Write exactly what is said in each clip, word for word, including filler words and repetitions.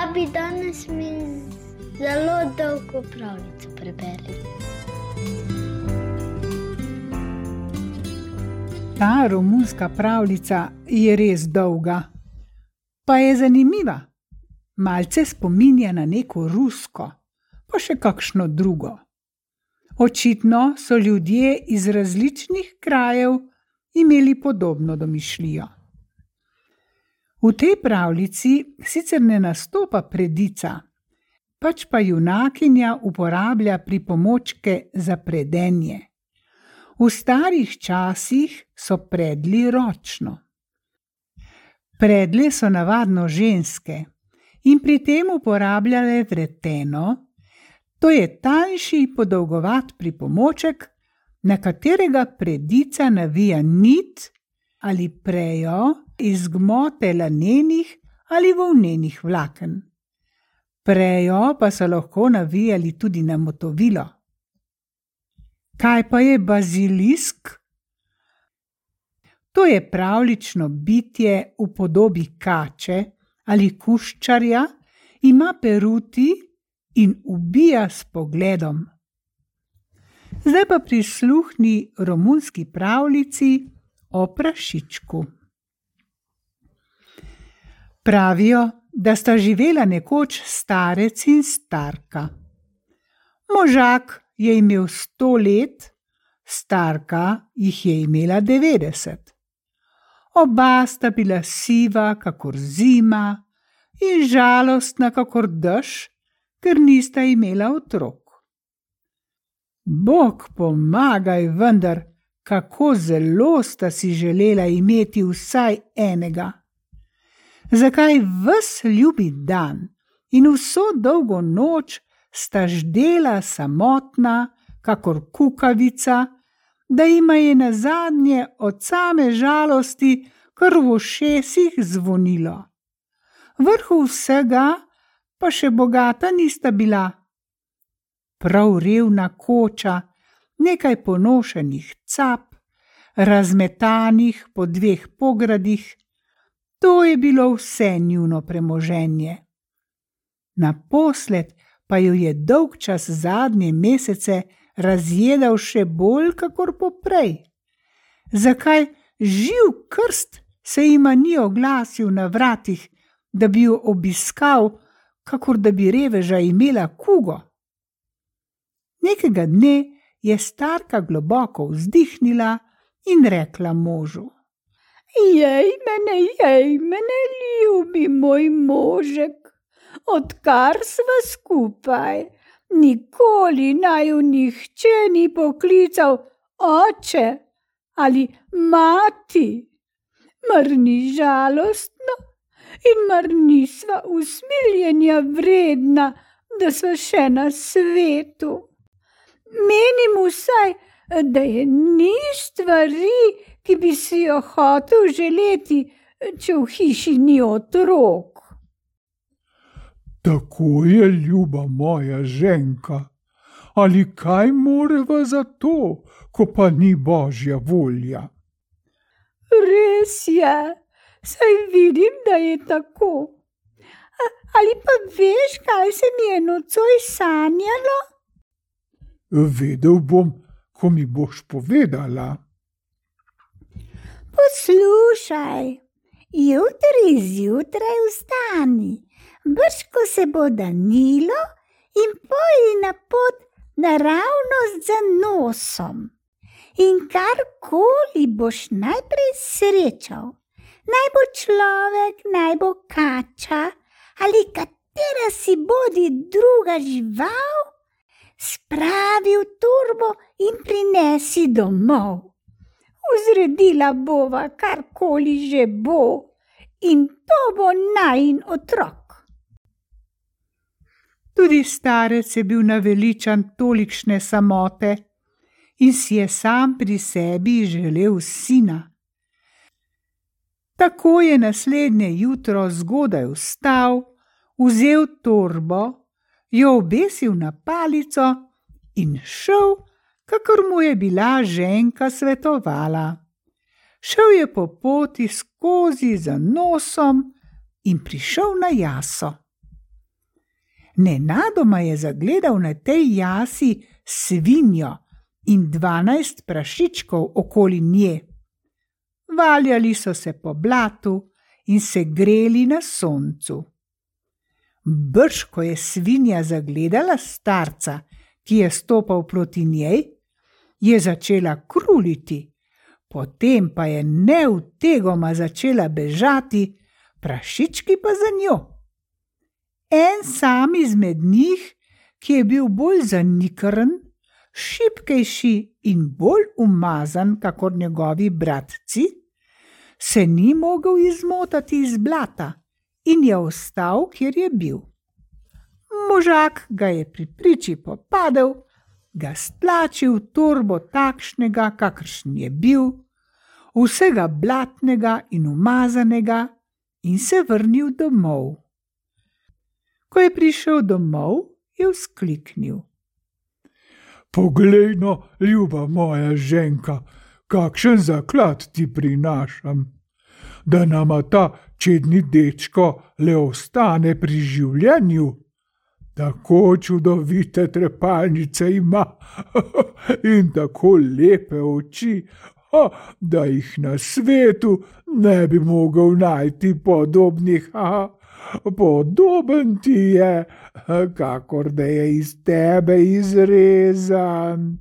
Babi, danes mi zelo dolgo pravljico preberi. Ta romunska pravljica je res dolga, pa je zanimiva. Malce spominja na neko rusko, pa še kakšno drugo. Očitno so ljudje iz različnih krajev imeli podobno domišljijo. V tej pravljici sicer ne nastopa predica, pač pa junakinja uporablja pripomočke za predenje. V starih časih so predli ročno. Predle so navadno ženske in pri tem uporabljale vreteno, to je tanjši podolgovat pripomoček, na katerega predica navija nit ali prejo iz gmote lanenih ali volnenih vlaken. Prejo pa so lahko navijali tudi na motovilo. Kaj pa je bazilisk? To je pravljično bitje v podobi kače ali kuščarja, ima peruti in ubija s pogledom. Zdaj pa prisluhni romunski pravljici o prašičku. Pravijo, da sta živela nekoč starec in starka. Možak je imel sto let, starka jih je imela devetdeset. Oba sta bila siva kakor zima in žalostna kakor dež, ker nista imela otrok. Bog pomagaj vendar, kako zelo sta si želela imeti vsaj enega. Zakaj ves ljubi dan in vso dolgo noč sta ždela samotna, kakor kukavica, da jima je nazadnje od same žalosti kar v ušesih zvonilo. Vrhu vsega pa še bogata nista bila. Prav revna koča, nekaj ponošenih cap, razmetanih po dveh pogradih, to je bilo vse njuno premoženje. Naposled pa jo je dolgčas zadnje mesece razjedal še bolj kakor poprej. Zakaj živ krst se jima ni oglasil na vratih, da bi jo obiskal, kakor da bi reveža imela kugo? Nekega dne je starka globoko vzdihnila in rekla možu: Jej mene, jej mene, ljubi moj možek, odkar sva skupaj, nikoli naju nihče ni poklical oče ali mati. Mar ni žalostno in mar nisva usmiljenja vredna, da sva še na svetu. Menim vsaj, da je ni stvari, ki bi si jo hotel želeti, če v hiši ni otrok. Tako je, ljuba moja ženka, ali kaj moreva za to, ko pa ni božja volja? Res je, saj vidim, da je tako. A, ali pa veš, kaj se mi je nocoj sanjalo? Vedel bom, ko mi boš povedala. Poslušaj, jutri zjutraj vstani, brž ko se bo danilo, in pojdi na pot naravnost za nosom. In karkoli boš najprej srečal, naj bo človek, naj bo kača ali katera si bodi druga žival, spravi v torbo in prinesi domov. Vzredila bova karkoli že bo, in to bo najin otrok. Tudi starec je bil naveličan tolikšne samote in si je sam pri sebi želel sina. Tako je naslednje jutro zgodaj vstal, vzel torbo, jo obesil na palico in šel, kakor mu je bila ženka svetovala. Šel je po poti skozi za nosom in prišel na jaso. Nenadoma je zagledal na tej jasi svinjo in dvanajst prašičkov okoli nje. Valjali so se po blatu in se greli na soncu. Brž ko je svinja zagledala starca, ki je stopal proti njej, je začela kruliti, potem pa je neutegoma začela bežati, prašički pa za njo. En sam izmed njih, ki je bil bolj zanikrn, šibkejši in bolj umazan kakor njegovi bratci, se ni mogel izmotati iz blata in je ostal, kjer je bil. Možak ga je pri priči popadel, ga stlačil v torbo takšnega, kakršen je bil, vsega blatnega in umazanega, in se vrnil domov. Ko je prišel domov, je vzkliknil: Poglej no, ljuba moja ženka, kakšen zaklad ti prinašam, da nama ta čedni dečko le ostane pri življenju. Tako čudovite trepalnice ima in tako lepe oči, da jih na svetu ne bi mogel najti podobnih. Podoben ti je, kakor da je iz tebe izrezan.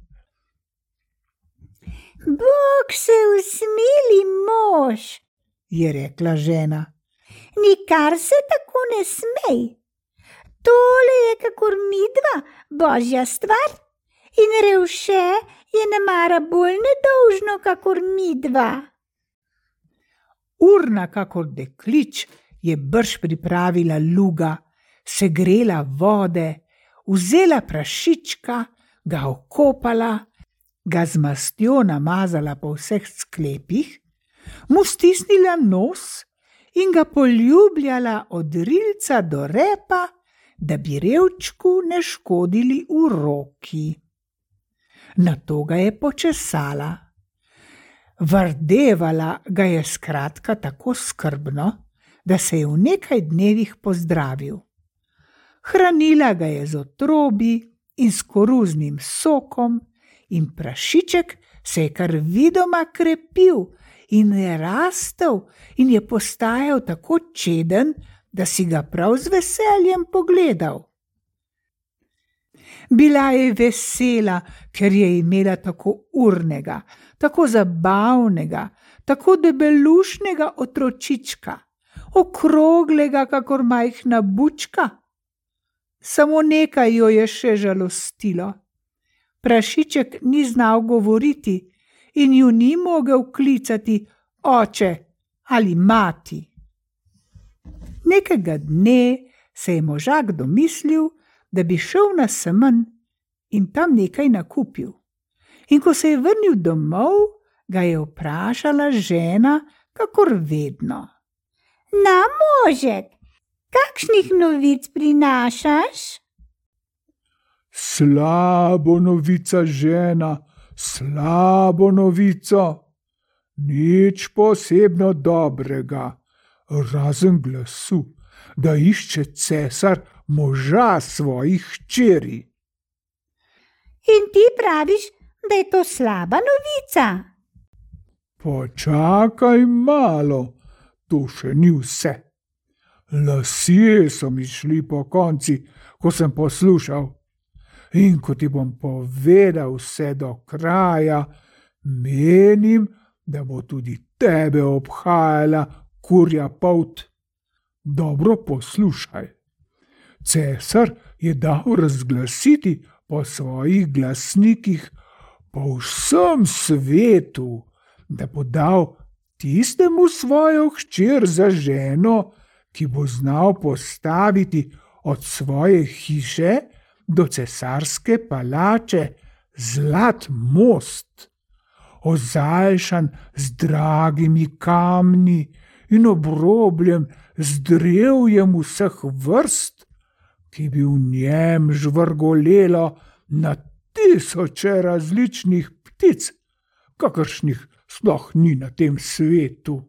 Bog se usmili, mož, je rekla žena. Nikar se tako ne smej. Tole je kakor midva, božja stvar, in revše je nemara bolj nedolžno kakor midva. Urna kakor deklič je brž pripravila luga, segrela vode, vzela prašička, ga okopala, ga z mastjo namazala po vseh sklepih, mu stisnila nos in ga poljubljala od rilca do repa, da bi revčku ne škodili v roki. Nato ga je počesala. Vardevala ga je skratka tako skrbno, da se je v nekaj dnevih pozdravil. Hranila ga je z otrobi in s koruznim sokom in prašiček se je kar vidoma krepil in je rastel in je postajal tako čeden, da si ga prav z veseljem pogledal. Bila je vesela, ker je imela tako urnega, tako zabavnega, tako debelušnega otročička, okroglega kakor majhna bučka. Samo nekaj jo je še žalostilo. Prašiček ni znal govoriti in ju ni mogel klicati oče ali mati. Nekega dne se je možak domislil, da bi šel na semenj in tam nekaj nakupil. In ko se je vrnil domov, ga je vprašala žena, kakor vedno. Na, možek, kakšnih novic prinašaš? Slabo novica, žena, slabo novico. Nič posebno dobrega, razen glasu, da išče cesar moža svojih hčeri. In ti praviš, da je to slaba novica? Počakaj malo, to še ni vse. Lasje so mi šli po konci, ko sem poslušal. In ko ti bom povedal vse do kraja, menim, da bo tudi tebe obhajala kurja polt. Dobro poslušaj. Cesar je dal razglasiti po svojih glasnikih po vsem svetu, da bo dal tistemu svojo hčer za ženo, ki bo znal postaviti od svoje hiše do cesarske palače zlat most, ozaljšan z dragimi kamni in obrobljen z drevjem vseh vrst, ki bi v njem žvrgolelo na tisoče različnih ptic, kakršnih sploh ni na tem svetu.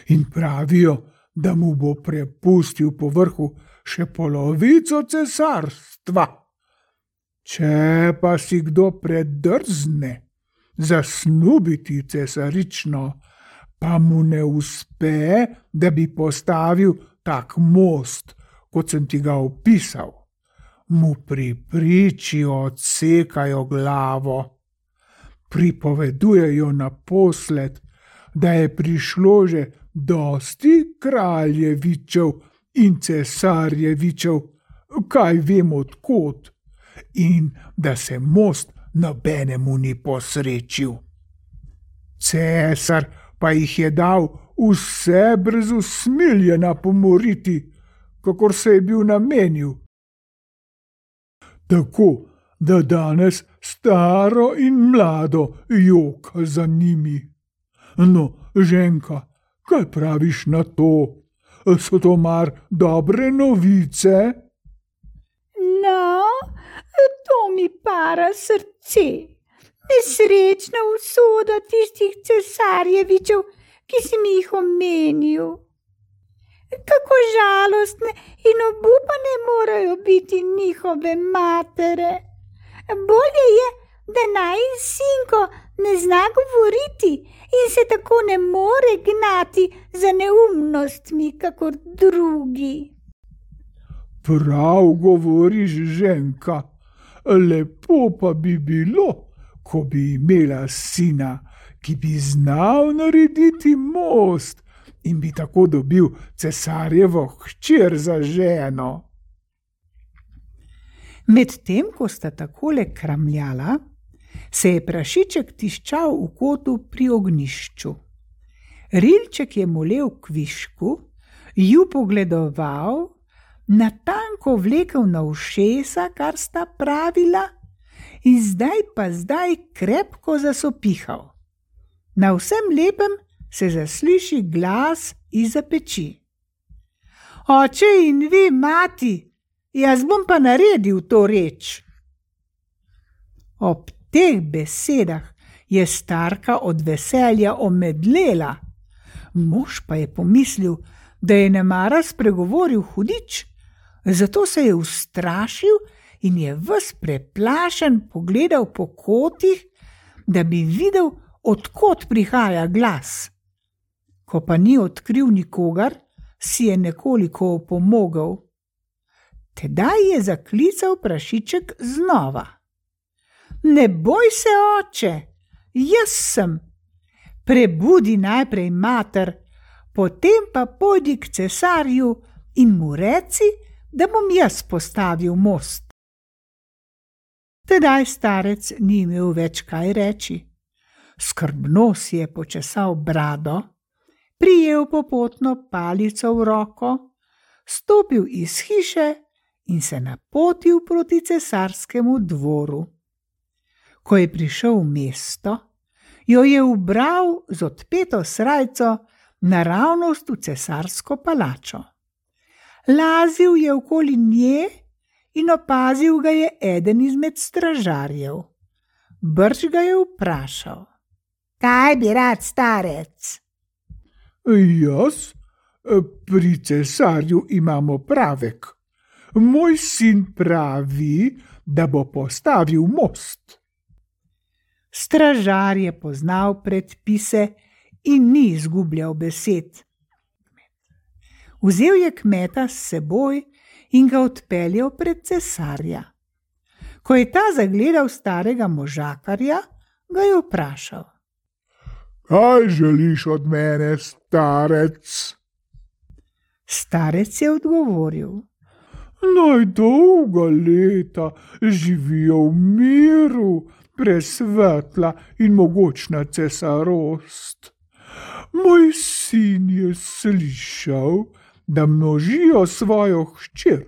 In pravijo, da mu bo prepustil po vrhu še polovico cesarstva. Če pa si kdo predrzne zasnubiti cesarično, pa mu ne uspe, da bi postavil tak most, kot sem ti ga opisal, mu pri priči odsekajo glavo. Pripovedujejo naposled, da je prišlo že dosti kraljevičev in cesarjevičev, kaj vem odkot, in da se most nobenemu ni posrečil. Cesar pa jih je dal vse brez usmiljena pomoriti, kakor se je bil namenil. Tako, da danes staro in mlado joka za njimi. No, ženka, kaj praviš na to? So to mar dobre novice? No, to mi para srce. Nesrečna usoda tistih cesarjevičev, ki si mi jih omenil. Kako žalostne in obupane morajo biti njihove matere. Bolje je, da najin sinko ne zna govoriti in se tako ne more gnati za neumnostmi, kakor drugi. Prav govoriš, ženka, lepo pa bi bilo, ko bi imela sina, ki bi znal narediti most in bi tako dobil cesarjevo hčer za ženo. Medtem ko sta takole kramljala, se je prašiček tiščal v kotu pri ognjišču. Rilček je molel kvišku, ju pogledoval, natanko vlekel na ušesa, kar sta pravila, in zdaj pa zdaj krepko zasopihal. Na vsem lepem se zasliši glas izza peči. Oče in vi, mati, jaz bom pa naredil to reč. Ob teh besedah je starka od veselja omedlela. Mož pa je pomislil, da je nemara spregovoril hudič, zato se je ustrašil in je ves preplašen pogledal po kotih, da bi videl, odkot prihaja glas. Ko pa ni odkril nikogar, si je nekoliko opomogel. Tedaj je zaklical prašiček znova. Ne boj se, oče, jaz sem. Prebudi najprej mater, potem pa pojdi k cesarju in mu reci, da bom jaz postavil most. Tedaj starec ni imel več kaj reči. Skrbno si je počesal brado, prijel popotno palico v roko, stopil iz hiše in se napotil proti cesarskemu dvoru. Ko je prišel v mesto, jo je ubral z odpeto srajco naravnost v cesarsko palačo. Lazil je okoli nje in opazil ga je eden izmed stražarjev. Brž ga je vprašal: Kaj bi rad, starec? Jaz? Pri cesarju imamo pravek. Moj sin pravi, da bo postavil most. Stražar je poznal predpise in ni izgubljal besed. Vzel je kmeta s seboj in ga odpeljal pred cesarja. Ko je ta zagledal starega možakarja, ga je vprašal: Kaj želiš od mene, starec? Starec je odgovoril: Naj dolga leta živijo v miru, presvetla in mogočna cesarost. Moj sin je slišal, da množijo svojo hčer,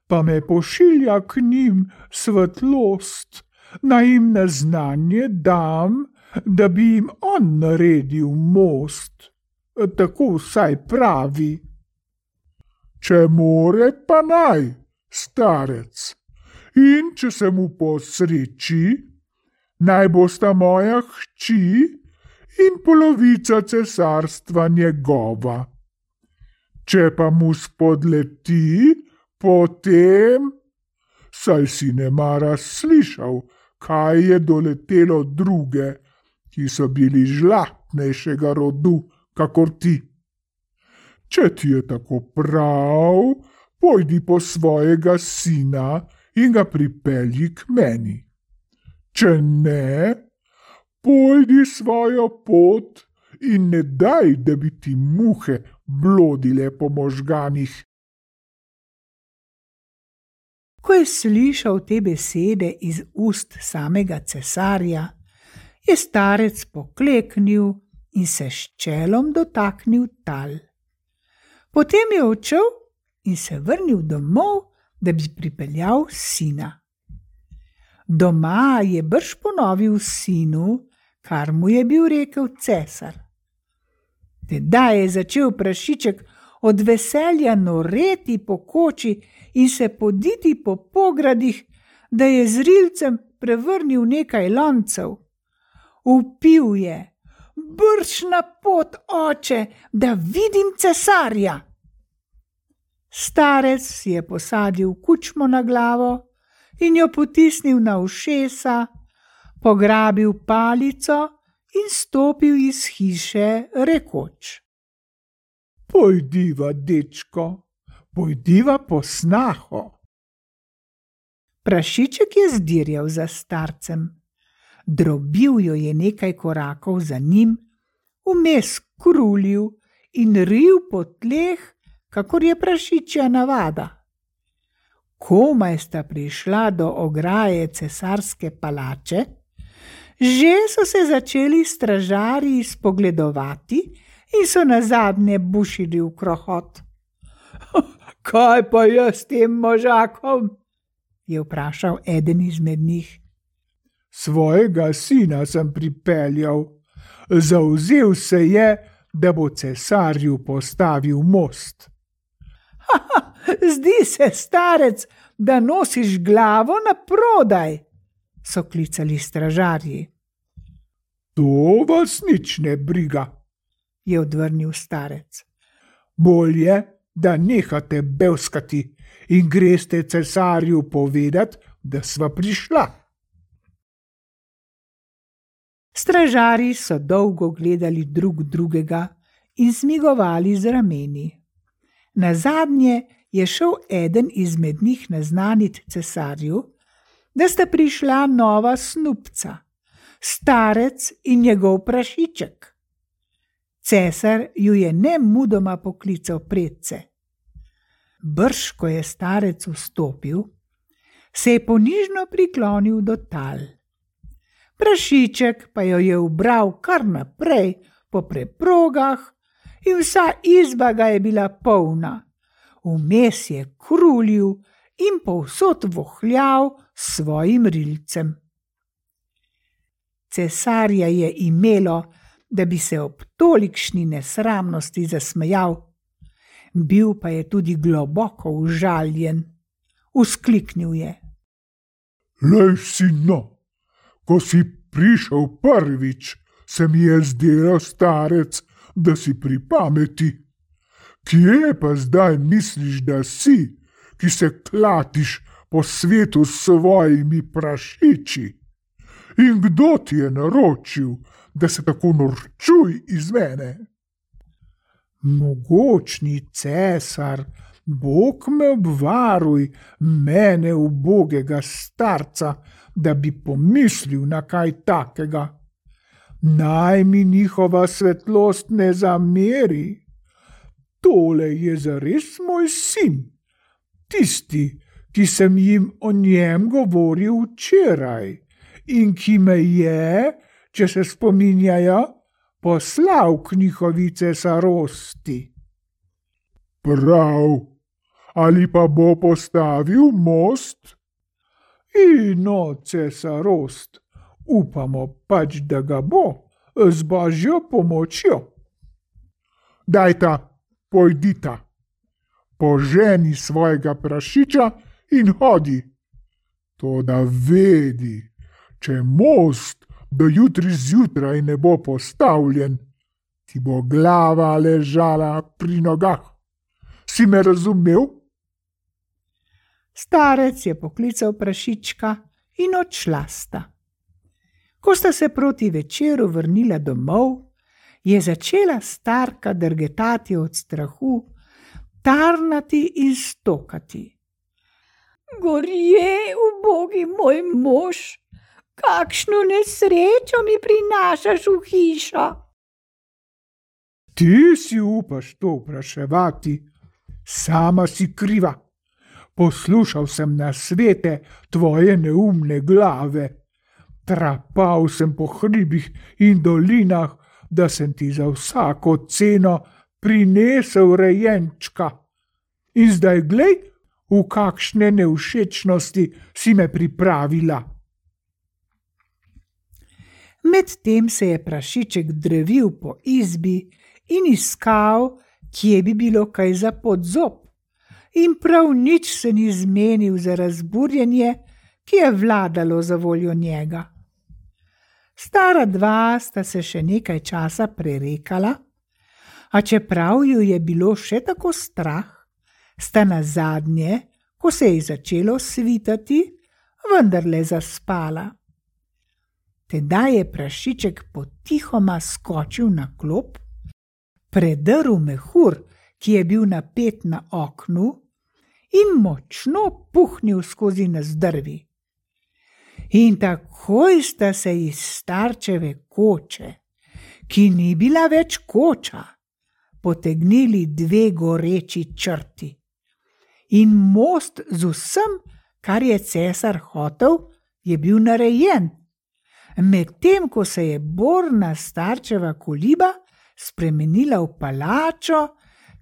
pa me pošilja k njim svetlost, naj jim na znanje dam, da bi jim on naredil most. Tako vsaj pravi. Če more, pa naj, starec, in če se mu posreči, naj bosta moja hči in polovica cesarstva njegova. Če pa mu spodleti, Potem, saj si nemara slišal, kaj je doletelo druge, ki so bili žlahtnejšega rodu, kakor ti. Če ti je tako prav, pojdi po svojega sina in ga pripelji k meni. Če ne, pojdi svojo pot in ne daj, da bi ti muhe blodile po možganih. Ko je slišal te besede iz ust samega cesarja, je starec pokleknil in se s čelom dotaknil tal. Potem je odšel in se vrnil domov, da bi pripeljal sina. Doma je brž ponovil sinu, kar mu je bil rekel cesar. Tedaj je začel prašiček od veselja noreti po koči in se poditi po pogradih, da je z rilcem prevrnil nekaj loncev. Vpil je: "Brž na pot, oče, da vidim cesarja." Starec si je posadil kučmo na glavo in jo potisnil na ušesa, pograbil palico in stopil iz hiše, rekoč: "Pojdiva, dečko, pojdiva po snaho." Prašiček je zdirjal za starcem. Drobil jo je nekaj korakov za njim, vmes krulil in ril po tleh, kakor je prašičja navada. Komaj sta prišla do ograje cesarske palače, že so se začeli stražarji spogledovati in so nazadnje bušili v krohot. "Kaj pa je s tem možakom?" je vprašal eden izmed njih. "Svojega sina sem pripeljal. Zavzel se je, da bo cesarju postavil most." "Haha, zdi se, starec, da nosiš glavo na prodaj," so klicali stražarji. "To vas nič ne briga," je odvrnil starec. "Bolje, da nehate bevskati in greste cesarju povedati, da sva prišla." Stražarji so dolgo gledali drug drugega in zmigovali z rameni. Nazadnje je šel eden izmed njih naznanit cesarju, da sta prišla nova snupca, starec in njegov prašiček. Cesar ju je nemudoma poklical predse. Brž ko je starec vstopil, se je ponižno priklonil do tal. Prašiček pa jo je ubral kar naprej po preprogah in vsa izba ga je bila polna. Vmes je krulil in povsod vohljal s svojim rilcem. Cesarja je imelo, da bi se ob tolikšni nesramnosti zasmejal. Bil pa je tudi globoko užaljen. Vzkliknil je: "Lej, sino, ko si prišel prvič, se mi je zdelo, starec, da si pri pameti. Kje pa zdaj misliš, da si, ki se klatiš po svetu s svojimi prašiči? In kdo ti je naročil, da se tako norčuj iz mene?" "Mogočni cesar, Bog me obvaruj, mene ubogega starca, da bi pomislil na kaj takega. Naj mi njihova svetlost ne zameri. Tole je zares moj sin, tisti, ki sem jim o njem govoril včeraj in ki me je, če se spominjajo, poslal k njihovi cesarosti." "Prav, ali pa bo postavil most?" "Ino, cesarost, upamo pač, da ga bo, z božjo pomočjo." "Dajta, pojdita, poženi svojega prašiča in hodi. Toda vedi, če most do jutri zjutraj ne bo postavljen, ti bo glava ležala pri nogah. Si me razumel?" Starec je poklical prašička in odšla sta. Ko sta se proti večeru vrnila domov, je začela starka drgetati od strahu, tarnati in stokati. Gorje, ubogi moj mož, kakšno nesrečo mi prinašaš v hišo. Ti si upaš to vpraševati, sama si kriva. Poslušal sem nasvete tvoje neumne glave. Trapal sem po hribih in dolinah, da sem ti za vsako ceno prinesel rejenčka. In zdaj glej, v kakšne nevšečnosti si me pripravila. Medtem se je prašiček drevil po izbi in iskal, kje bi bilo kaj za podzob. In prav nič se ni zmenil za razburjenje, ki je vladalo za voljo njega. Stara dva sta se še nekaj časa prerekala, a čeprav ju je bilo še tako strah, sta nazadnje, ko se je začelo svitati, vendarle zaspala. Tedaj je prašiček potihoma skočil na klop, predrl mehur, ki je bil napet na oknu, in močno puhnil skozi nazdrvi. In takoj sta se iz starčeve koče, ki ni bila več koča, potegnili dve goreči črti. In most z vsem, kar je cesar hotel, je bil narejen, medtem ko se je borna starčeva koliba spremenila v palačo,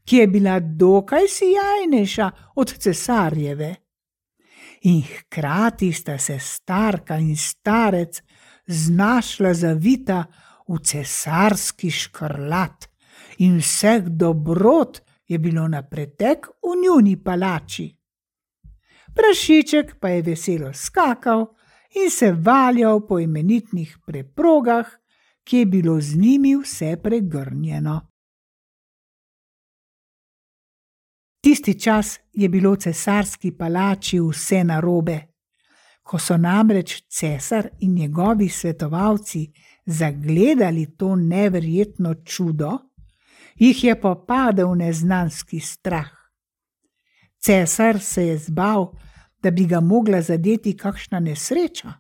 ki je bila dokaj sijajnejša od cesarjeve. In hkrati sta se starka in starec znašla zavita v cesarski škrlat in vseh dobrot je bilo na pretek v njuni palači. Prašiček pa je veselo skakal in se valjal po imenitnih preprogah, ki je bilo z njimi vse pregrnjeno. Tisti čas je bilo v cesarski palači vse narobe. Ko so namreč cesar in njegovi svetovalci zagledali to neverjetno čudo, jih je popadel neznanski strah. Cesar se je zbal, da bi ga mogla zadeti kakšna nesreča.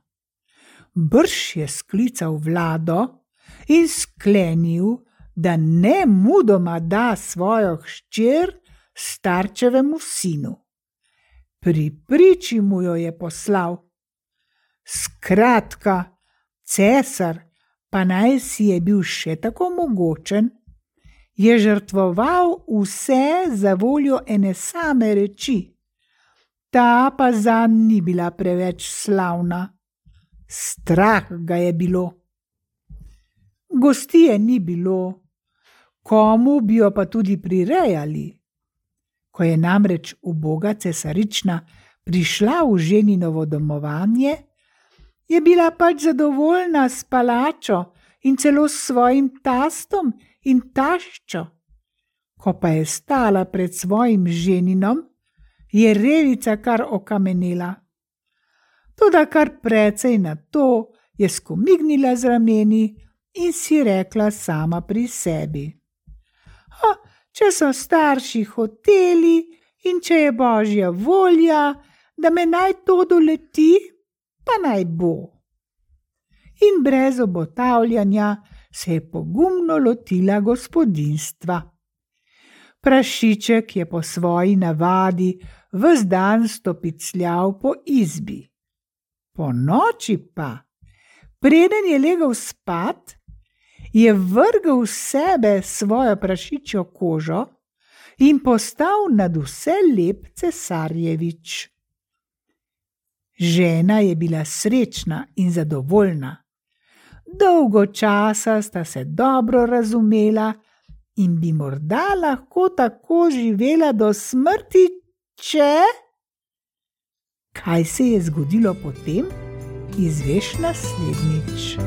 Brž je sklical vlado in sklenil, da ne mudoma da svojo hčer starčevemu sinu. Pri priči mu jo je poslal. Skratka, cesar, pa naj si je bil še tako mogočen, je žrtvoval vse za voljo ene same reči. Ta pa zanj ni bila preveč slavna. Strah ga je bilo. Gostije ni bilo, komu bi jo pa tudi prirejali. Ko je namreč uboga cesarična prišla v ženinovo domovanje, je bila pač zadovoljna s palačo in celo s svojim tastom in taščo. Ko pa je stala pred svojim ženinom, je revica kar okamenela. Toda kar precej na to je skomignila z rameni in si rekla sama pri sebi. Ha, če so starši hoteli in če je božja volja, da me naj to doleti, pa naj bo. In brez obotavljanja se je pogumno lotila gospodinjstva. Prašiček je po svoji navadi ves dan stopicljal po izbi. Po noči pa, preden je legel spat, je vrgel v sebe svojo prašičjo kožo in postal nad vse lep cesarjevič. Žena je bila srečna in zadovoljna. Dolgo časa sta se dobro razumela in bi morda lahko tako živela do smrti, če... Kaj se je zgodilo potem, izveš naslednjič.